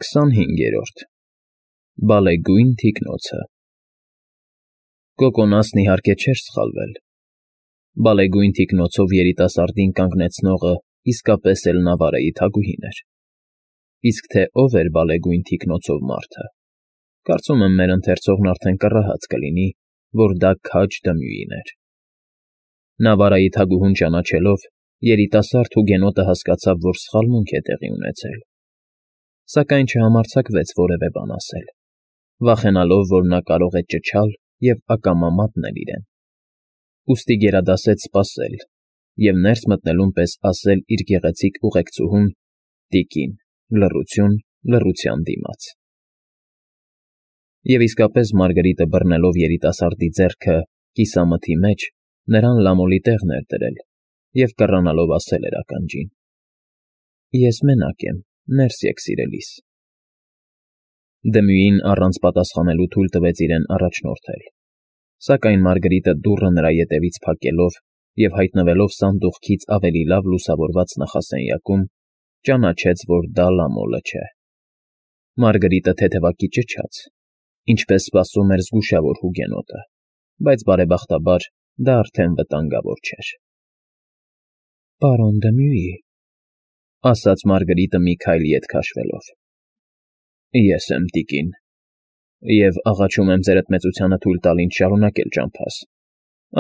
25. Բալեգույն թիկնոցը Կոկոնասն իհարկե չէր սխալվել. բալեգույն թիկնոցով երիտասարդին կանգնեցնողը իսկապես էլ Նավարայի թագուհին էր, իսկ թե ով էր բալեգույն թիկնոցով մարդը, կարծում եմ մեր ընթերցողն արդեն կռահած կլինի, որ դա քաջ Դմյուին էր. Նավարայի թագուհուն ճանաչելով, երիտասարդ հուգենոտը հասկացավ, որ սխալմունք է տեղի ունեցել, սակայն չհամարձակվեց որևէ բան ասել, վախենալով, որ նա կարող է ճչալ և ակամա մատնել իրեն, ուստի գերադասեց սպասել և ներս մտնելուն պես ասել իր գեղեցիկ ուղեկցուհուն. «Տիկին, լռություն լռության դիմաց»։ Եվ իսկապես Մարգարիտը բռնելով երիտասարդի ձեռքը կիսամթի մեջ, նրան լամոլի տեղն էր դրել և կռանալով ասել էր ականջին. «Ես մենակ եմ, ներս եկ սիրելիս»։ Դմյուին առանց պատասխանելու թույլ տվեց իրեն առաջնորդել, սակայն Մարգարիտը դուռը նրա ետևից փակելով և հայտնվելով սանդուղքից ավելի լավ լուսավորված նախասենյակում, ճանաչեց, որ դա լամոլը չէ։ Մարգարիտը թեթևակի ճչաց, ինչպես սպասում էր զգուշավոր հուգենոտը, բայց բարեբախտաբար դա արդեն վտանգավոր չէր։ «Պարոն Դմյուի», ասաց Մարգարիտը մի քայլ ետ քաշվելով։ «Ես եմ, տիկին, և աղաչում եմ ձերդ մեծությանը թույլ տալ ինձ շարունակել ճամփաս,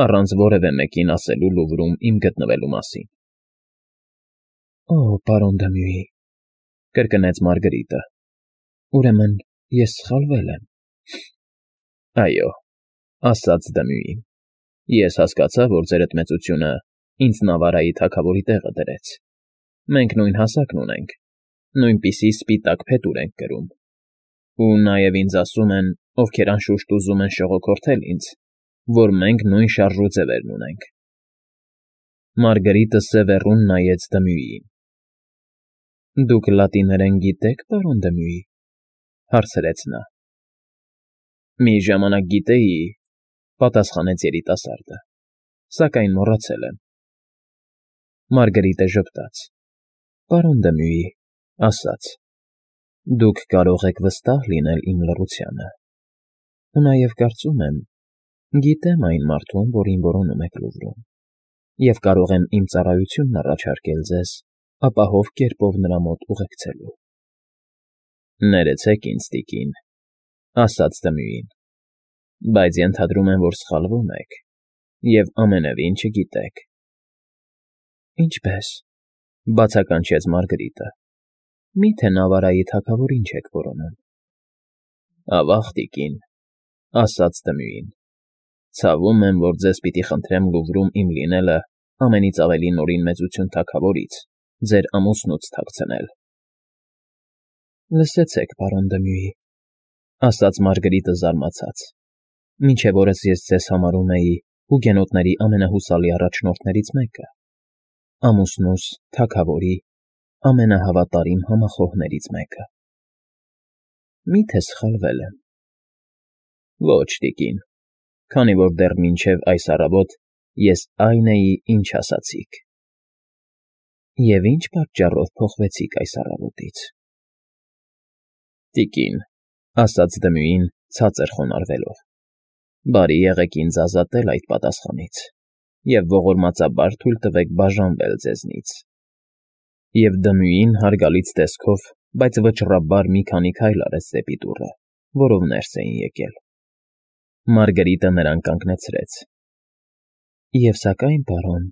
առանց որևէ մեկին ասելու Լուվրում իմ գտնվելու մասին»։ «Օ, պարոն Դմյուի», կրկնեց Մարգարիտը, «ուրեմն ես սխալվել եմ»։ «Այո», ասաց Դմյուին, «ես հասկացա, որ ձերդ մեծությունը ինձ Նավարայի թագավորի տեղը դրեց։ Մենք նույն հասակն ունենք, նույնպիսի սպիտակ փետուր ենք կրում, ու նաև ինձ ասում են, ովքեր անշուշտ ուզում են շողոքորթել ինձ, որ մենք նույն շարժուձևերն ունենք»։ Մարգարիտը սևեռուն նայեց Դմյուիին։ «Դուք լատիներեն գիտե՞ք, պարոն Դմյուի», հարցրեց նա։ «Մի ժամանակ գիտեի», պատասխանեց երիտասարդը, «սակայն մոռացել եմ»։ Մարգարիտը ժպտաց. «Պարոն Դմյուի», ասաց, «դուք կարող եք վստահ լինել իմ լռությանը, ու նաև կարծում եմ, գիտեմ այն մարդուն, որին որոնում եք Լուվրում, և կարող եմ իմ ծառայությունն առաջարկել ձեզ ապահով կերպով նրա մոտ ուղեկցելու»։ «Ներեցեք ինձ, տիկին», ասաց Դմյուին, «բայց ենթադրում եմ, որ սխալվում եք և ամենևին չգիտեք»։ «Ինչպե՞ս», բացականչեց Մարգարիտը, «մի՞թե Նավարայի թագավորին չեք որոնում»։ «Ավա՜ղ, տիկին», ասաց Դմյուին, «ցավում եմ, որ ձեզ պիտի խնդրեմ Լուվրում իմ լինելը ամենից ավելի նորին մեծություն թագավորից, ձեր ամուսնուց թաքցնել»։ «Լսեցեք, պարոն Դմյուի», ասաց Մարգարիտը զարմացած, «մինչև օրս ես ձեզ համարում էի հուգենոտների ամենահուսալի առաջնորդներից մեկը, ամուսնուս, թագավորի ամենահավատարիմ համախոհներից մեկը։ Մի՞թե սխալվել եմ»։ «Ոչ, տիկին, քանի որ դեռ մինչև այս առավոտ ես այն էի, ինչ ասացիք»։ «Եվ ի՞նչ պատճառով փոխվեցիք այս առավոտից»։ «Տիկին», ասաց Դմյուին ցածր խոնարհվելով, «բարի եղեք ինձ ազատել այդ պատասխանից և ողորմածաբար թույլ տվեք բաժանվել ձեզնից»։ Եվ Դմյուին հարգալից տեսքով, բայց վճռաբար մի քանի քայլ արեց դեպի դուռը, որով ներս էին եկել։ Մարգարիտը նրան կանգնեցրեց։ «Եվ սակայն, պարոն»,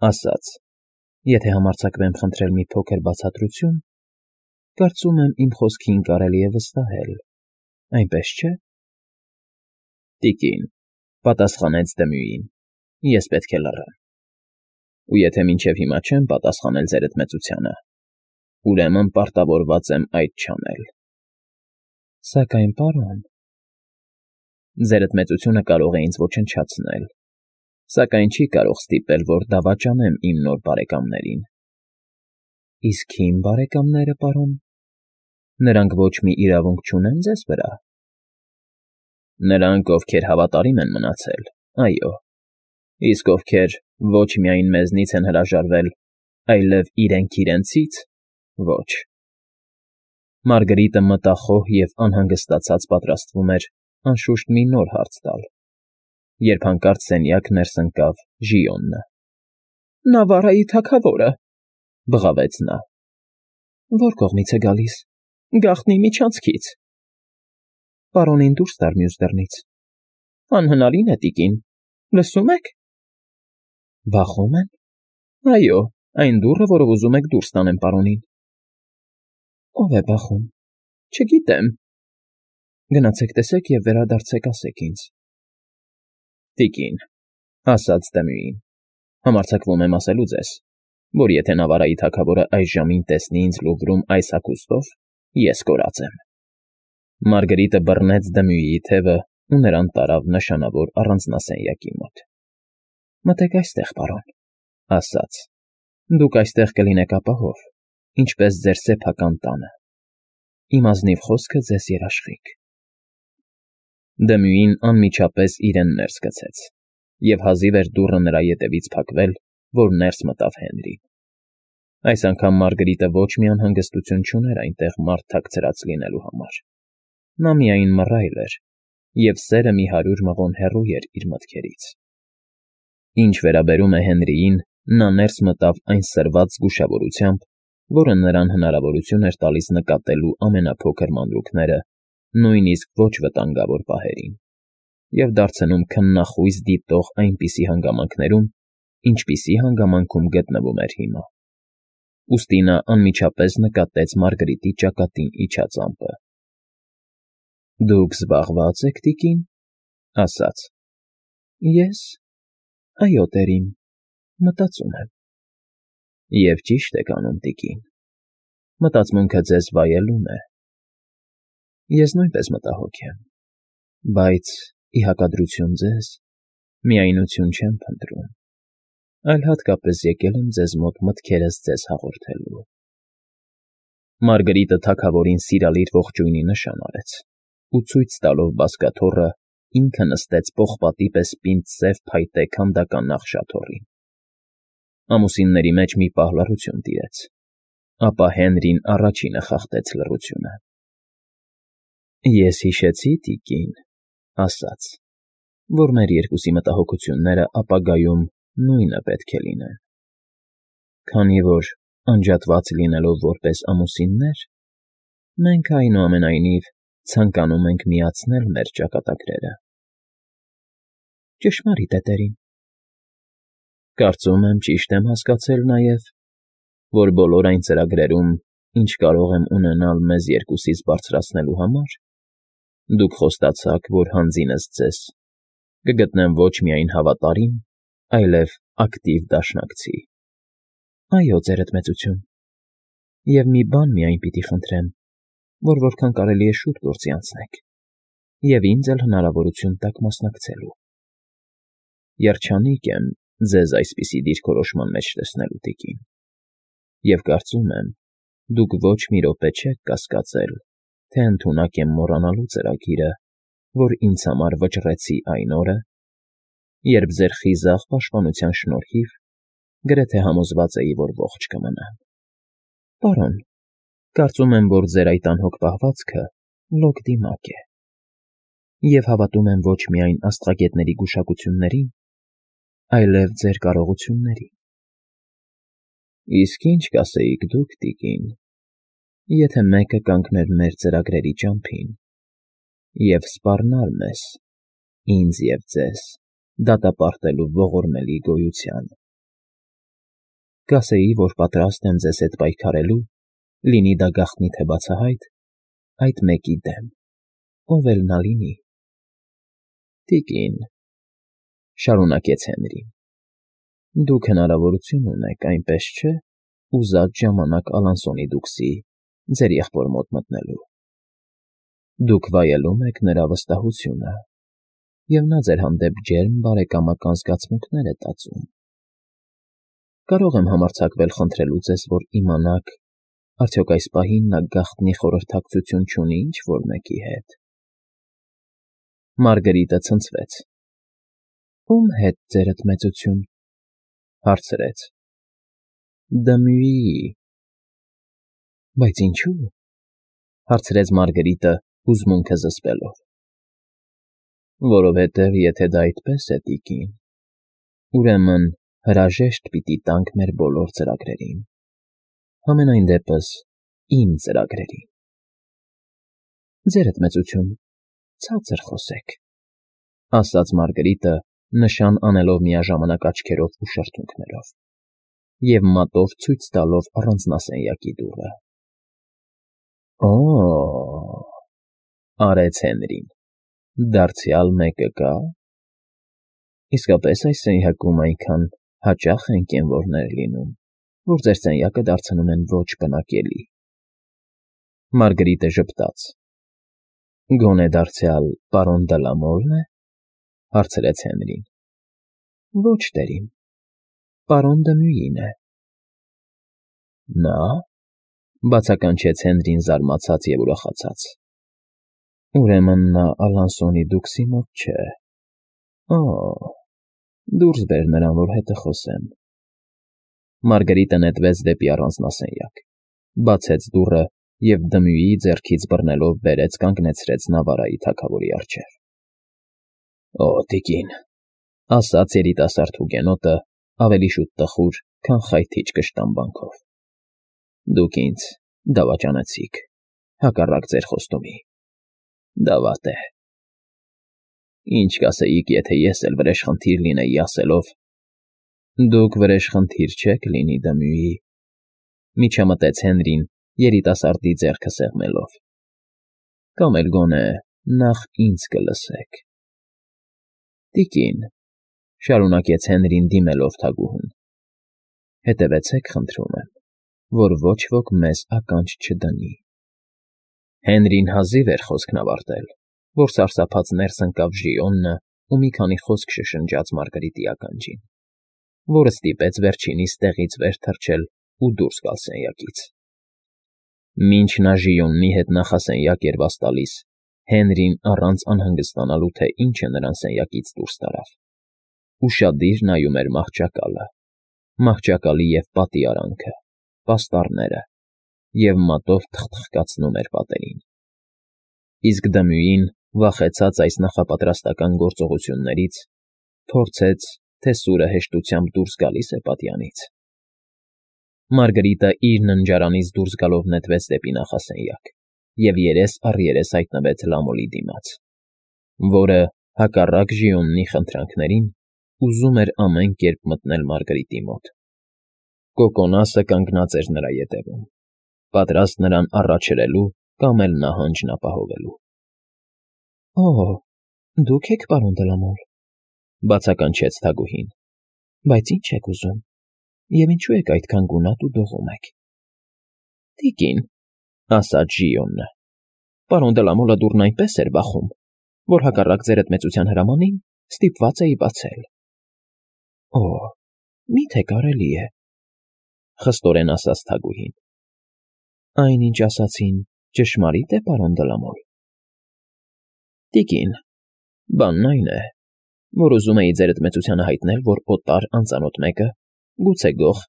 ասաց, «եթե համարձակվեմ խնդրել մի փոքր բացատրություն, կարծում եմ իմ խոսքին կարելի է վստահել, այնպես չէ՞։ «Տիկին», պատասխանեց Դմյուին, «ես պետք է լռեմ, ու եթե մինչև հիմա չեմ պատասխանել ձերդ մեծությանը, ուրեմն պարտավորված եմ այդ չանել»։ «Սակայն, պարոն»։ «Ձերդ մեծությունը կարող է ինձ ոչնչացնել, սակայն չի կարող ստիպել, որ դավաճանեմ իմ նոր բարեկամներին»։ «Իսկ իմ բարեկամները, պարոն, նրանք ոչ մի իրավունք չունեն ձեզ վրա»։ «Նրանք, ովքեր հավատարիմ են մնացել, այո, իսկ ովքեր ոչ միայն մեզնից են հրաժարվել, այլև իրենք իրենցից՝ ոչ»։ Մարգարիտը մտախոհ և անհանգստացած պատրաստվում էր անշուշտ մի նոր հարց տալ, երբ հանկարծ սենյակ ներս ընկավ Ժիոնը։ ֊ Նավարայի թագավորը,֊ բղավեց նա։ ֊ Ո՞ր կողմից է գալիս։ Գաղտնի միջանցքից։ ֊ Պարոնին դուրս տար մյուս դռնից։ ֊ Անհնարին է, տիկին, լսում եք։ ֊ Բախում են։ ֊ Այո, այն դուռը, որով ուզում եք դուրս տանեմ պարոնին։ ֊ Ո՞վ է բախում։ ֊ Չգիտեմ։ ֊ Գնացեք տեսեք և վերադարձեք ասեք ինձ։ ֊ Տիկին,֊ ասաց Դմյուին,֊ համարձակվում եմ ասելու ձեզ, որ եթե Նավարայի թագավորը այս ժամին տեսնի ինձ Լուվրում այս հագուստով, ես կորած եմ։ Մարգարիտը բռնեց Դմյուիի թևը ու նրան տարավ նշանավոր առանձնասենյակի մոտ։ ֊ Մտեք այստեղ, պարոն,֊ ասաց,֊ դուք այստեղ կլինեք ապահով, ինչպես ձեր սեփական տանը։ Իմ ազնիվ խոսքը ձեզ երաշխիք։ Դմյուին անմիջապես իրեն ներս գցեց, և հազիվ էր դուռը նրա ետևից փակվել, որ ներս մտավ Հենրին։ Այս անգամ Մարգարիտը ոչ մի անհանգստություն չուներ այնտեղ մարդ թաքցրած լինելու համար։ Նա միայն մռայլ էր, և սերը մի 100 մղոն հեռու էր իր մտքերից։ Ինչ վերաբերում է Հենրիին, նա ներս մտավ այն սրված զգուշավորությամբ, որը նրան հնարավորություն էր տալիս նկատելու ամենափոքր մանրուքները, նույնիսկ ոչ վտանգավոր պահերին, և դարձնում քննախույս դիտող այնպիսի հանգամանքներում, ինչպիսի հանգամանքում գտնվում էր հիմա։ Ուստի նա անմիջապես նկատեց Մարգարիտի ճակատին իջած ամպը։ ֊ Դուք զբաղվա՞ծ եք, տիկին,֊ ասաց։ ֊ Ես… Այո, տերին, մտածում եմ։ ֊ Եվ ճիշտ եք անում, տիկին, մտածմունքը ձեզ վայելում է։ Ես նույնպես մտահոգ եմ, բայց, ի հակադրություն ձեզ, միայնություն չեմ փնտրում, այլ հատկապես եկել եմ ձեզ մոտ մտքերս ձեզ հաղորդելու։ Մարգարիտը թագավորին սիրալիր ողջույնի նշան արեց ու ցույց տալով բազկաթոռը ինքը նստեց պողպատի պես պինդ սև փայտե քանդական նախշաթոռին։ Ամուսինների մեջ մի պահ լռություն տիրեց, ապա Հենրին առաջինը խախտեց լռությունը։ ֊ Ես հիշեցի, տիկին,֊ ասաց,֊ որ մեր երկուսի մտահոգությունները ապագայում նույնը պետք է լինեն։ Քանի որ, անջատված լինելով որպես ամուսիններ, մենք, այնուամենայնիվ, ցանկանում ենք միացնել մեր ճակատագրերը։ ֊ Ճշմարիտ է, տերին։ ֊ Կարծում եմ ճիշտ եմ հասկացել նաև, որ բոլոր այն ծրագրերում, ինչ կարող եմ ունենալ մեզ երկուսիս բարձրացնելու համար, դուք խոստացաք, որ հանձինս ձեզ կգտնեմ ոչ միայն հավատարիմ, այլև ակտիվ դաշնակցի։ ֊ Այո, ձերդ մեծություն, և մի բան միայն պիտի խնդրեմ, որ որքան կարելի է շուտ գործի անցնեք, և ինձ էլ հնարավորություն տաք մասնակցելու։ Երջանիկ եմ ձեզ այսպիսի դիրքորոշման մեջ տեսնելու, տիկին, և կարծում եմ, դուք ոչ մի րոպե չեք կասկածել, թե ընդունակ եմ մոռանալու ծրագիրը, որ ինձ համար վճռեցի այն օրը, երբ ձեր խիզախ պաշտպանության շնորհիվ գրեթե համոզված էի, որ ողջ կմնամ։ Պարոն, կարծում եմ, որ ձեր այդ անհոգ պահվածքը լոկ դիմակ է, և հավատում եմ ոչ միայն աստղագետների գուշակություններին, այլև ձեր կարողություններին։ Իսկ ինչ կասեիք դուք, տիկին, եթե մեկը կանգներ մեր ծրագրերի ճամփին և սպառնար մեզ, ինձ և ձեզ, դատապարտելու ողորմելի գոյությանը։ Կասեի, որ պատրաստ եմ ձեզ հետ պայքարելու, լինի դա գաղտնի թե բացահայտ, այդ մեկի դեմ, ով էլ նա լինի։ ֊ Տիկին,֊ շարունակեց Հենրին,֊ դուք հնարավորություն ունեք, այնպես չէ, ուզած ժամանակ Ալանսոնի դուքսի, ձեր եղբոր մոտ մտնելու։ Դուք վայելում եք նրա վստահությունը, և նա ձեր հանդեպ ջերմ բարեկամական զգացմունքներ է տածում։ Կարող եմ համարձակվել խնդրելու ձեզ, որ իմանաք, արդյոք այս պահին նա գաղտնի խորհրդակցություն չունի ինչ֊որ մեկի հետ։ Մարգարիտը ցնցվեց։ ֊ Ո՞ւմ հետ, ձերդ մեծություն,֊ հարցրեց։ ֊ Դմյուիի։ ֊ Բայց ինչո՞ւ։ հարցրեց Մարգարիտը հուզմունքը զսպելով։ Որովհետև եթե դա այդպես է, տիկին, ուրեմն հրաժեշտ պիտի տանք մեր բոլոր ծրագրերին, համենայն դեպս իմ ծրագրերին։ Ձերդ մեծություն, ցածր խոսեք, ասաց Մարգարիտը, նշան անելով միաժամանակ աչքերով ու շրթունքներով, և մատով ցույց տալով առանձնասենյակի դուռը։ Օ՜, արեց Հենրին, դարձյալ մեկը կա։ Իսկապես այս սենյակում այնքան հաճախ են կենվորներ լինում, որ ձեր սենյակը դարձնում են ոչ պնակելի։ Մարգարիտը ժպտաց։ Գոնե դարձյալ պարոն Դլամոլն է, հարցրեց Հենրին։ Ոչ, տերին, պարոն Դմյուին է։ Նա, բացականչեց Հենրին զարմացած և ուրախացած։ Ուրեմն նա Ալանսոնի դուքսի մոտ չէ։ Օ, դուրս բեր նրան, որ հետը խոսեմ։ Մարգարիտը նետվեց դեպի առանձնասենյակ, բացեց դուռը և Դմյուի ձեռքից բռնելով բերեց կանգնեցրեց Նավարայի թագավորի առջև։ Օ, տիկին, ասաց երիտասարդ հուգենոտը ավելի շուտ տխուր, քան խայթիչ կշտամբանքով։ Դուք ինձ դավաճանեցիք, հակառակ ձեր խոստումի։ Դա վատ է։ Ինչ կասեիք, եթե ես էլ վրեժխնդիր լինեի ասելով. Դուք վրեժխնդիր չեք լինի, Դմյուի, միջամտեց Հենրին երիտասարդի ձեռքը սեղմելով։ Կամ էլ գոնե նախ ինձ կլսեք։ Տիկին, շարունակեց Հենրին դիմելով թագուհուն, հետևեցեք, խնդրում եմ, որ ոչ ոք մեզ ականջ չդնի։ Հենրին հազիվ էր խոսքն ավարտել, որ սարսափած ներս ընկավ Ժիոնը ու մի քանի խոսք շշնջաց Մարգարիտի ականջին, որը ստիպեց վերջինիս տեղից վեր թռչել ու դուրս գալ սենյակից։ Մինչ նա Ժիոնի հետ նախասենյակ էր վաս տալիս, Հենրին առանց անհանգստանալու, թե ինչ է նրան սենյակից դուրս տարավ, ուշադիր նայում էր մահճակալի և պատի արանքը, պաստառները և մատով թխթխկացնում էր պատերին։ Իսկ Դմյուին, վախեցած այս նախապատրաստական գործողություններից, փորձեց, թե սուրը հեշտությամբ դուրս գալիս է պատյանից։ Մարգարիտը իր ննջարանից դուրս գալով նետվեց դեպի նախասենյակ և երես առ երես հայտնվեց Լամոլի դիմաց, որը, հակառակ Ժիոնի խնդրանքներին, ուզում էր ամեն կերպ մտնել Մարգարիտի մոտ։ Կոկոնասը կանգնած էր նրա ետևում, պատրաստ նրան առաջրելու կամ էլ նահանջն ապահովելու։ Օ, դուք եք, պարոն Դլամոլ, բացականչեց թագուհին, բայց ինչ եք ուզում, և ինչու եք այդքան գունատ ու դողում եք։ Տիկին, ասաց Ժիոնը, պարոն Դլամոլը դուռն այնպես էր բախում, որ հակառակ ձերդ մեծության հրամանին ստիպված էի բացել։ Օ, միթե կարելի է, խստորեն ասաց թագուհին։ Այն, ինչ ասացին, ճշմարիտ է, պարոն Դլամոլ։ Տիկին, բանն այն է, որ ուզում էի ձերդ մեծությանը հայտնել, որ օտար անծանոթ մեկը, գուցե գող,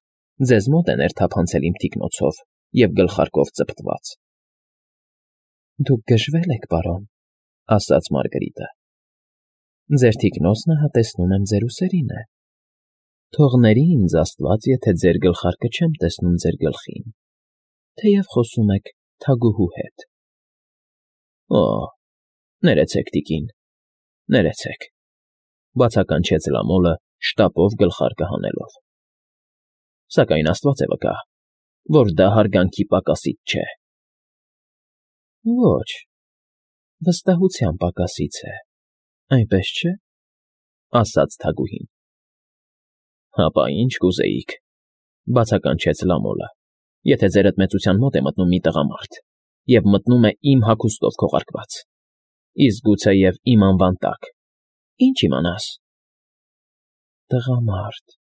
ձեզ մոտ է ներթափանցել իմ թիկնոցով և գլխարկով ծպտված։ Դուք գժվել եք, պարոն, ասաց Մարգարիտը։ Ձեր թիկնոցն ահա եմ ձեր ուսերին է։ Թողների ինձ Աստված, եթե ձեր գլխարկը չեմ տեսնում ձեր գլխին, թեև խոսում եք թագուհու հետ։ Օ, ներեցեք, տիկին, ներեցեք, բացականչեց Լամոլը, շտապով գլխարկը հանելով։ Սակայն Աստված է վկա, որ դա հարգանքի պակասից չէ։ Ոչ, վստահության պակասից է, այնպես չէ, ասաց թագուհին։ Հապա ինչ կուզեիք, բացականչեց Լամոլը, եթե ձերդ մեծության մոտ է մտնում մի տղամարդ և մտնում է իմ հագուստով քողարկված, իսկ գուցեև իմ անվան տակ, ինչ իմանաս։ Տղամարդ,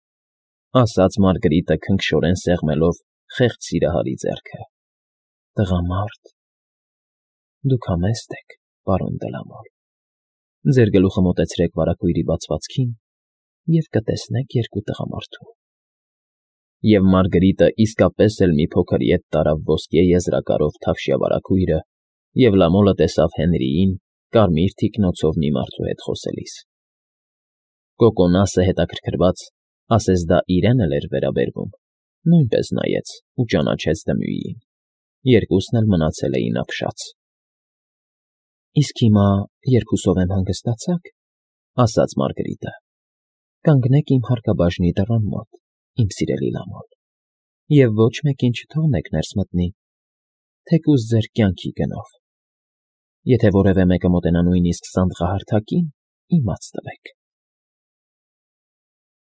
ասաց Մարգարիտը քնքշորեն սեղմելով խեղճ սիրահարի ձեռքը։ Տղամարդ, դուք համեստ եք, պարոն Դլամոլ։ Ձեր գլուխը մոտեցրեք վարագույրի բացվածքին և կտեսնեք երկու տղամարդու։ Եվ Մարգարիտը իսկապես էլ մի փոքր ետ տարավ ոսկե եզրակարով թավշյա վարագույրը և Լամոլը տեսավ Հենրիին կարմիր թիկնոցով մի մարդու հետ խոսելիս։ Կոկոնասը հետաքրքրված, ասես դա իրեն էլ էր վերաբերվում, նույնպես նայեց ու ճանաչեց Դմյուին. երկուսն էլ մնացել էին ապշած։ ֊ Իսկ հիմա, երբ հուսով եմ հանգստացաք, ֊ ասաց Մարգրիտը, ֊ կանգնեք իմ հարկաբաժնի դռան մոտ, իմ սիրելի Լամոլ, և ոչ մեկին չթողնեք ներս մտնի, թեկուզ ձեր կյանքի գնով. եթե որևէ մեկը մոտենա նույնիսկ սանդղահարթակին, իմաց տվեք։